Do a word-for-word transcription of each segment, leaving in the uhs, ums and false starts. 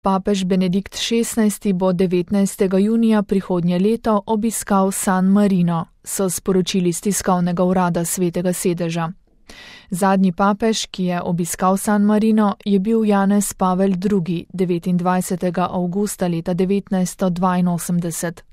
Papež Benedikt šestnajsti bo devetnajstega junija prihodnje leto obiskal San Marino, so sporočili s tiskovnega urada Svetega sedeža. Zadnji papež, ki je obiskal San Marino, je bil Janez Pavel drugi, devetindvajsetega avgusta leta devetnajststo dvainosemdeset.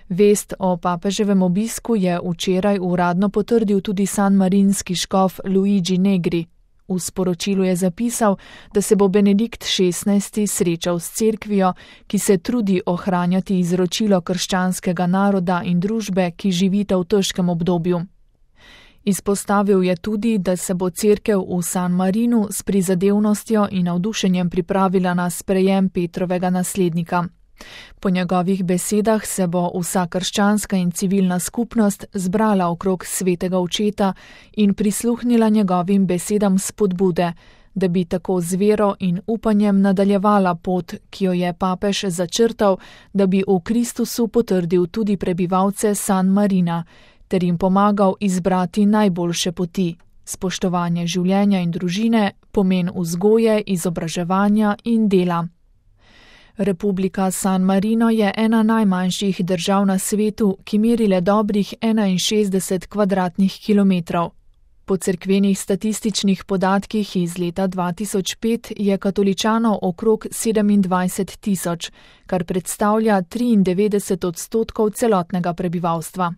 Vest o papeževem obisku je včeraj uradno potrdil tudi sanmarinski škof Luigi Negri. V sporočilu je zapisal, da se bo Benedikt šestnajsti srečal s cerkvijo, ki se trudi ohranjati izročilo krščanskega naroda in družbe, ki živita v težkem obdobju. Izpostavil je tudi, da se bo cerkev v San Marinu s prizadevnostjo in navdušenjem pripravila na sprejem Petrovega naslednika. Po njegovih besedah se bo vsa krščanska in civilna skupnost zbrala okrog svetega očeta in prisluhnila njegovim besedam spodbude, da bi tako z vero in upanjem nadaljevala pot, ki jo je papež začrtal, da bi v Kristusu potrdil tudi prebivalce San Marina, ter jim pomagal izbrati najboljše poti, spoštovanje življenja in družine, pomen vzgoje, izobraževanja in dela. Republika San Marino je ena najmanjših držav na svetu, ki meri le dobrih enainšestdeset kvadratnih kilometrov. Po cerkvenih statističnih podatkih iz leta dva tisoč pet je katoličanov okrog sedemindvajset tisoč, kar predstavlja triindevetdeset odstotkov celotnega prebivalstva.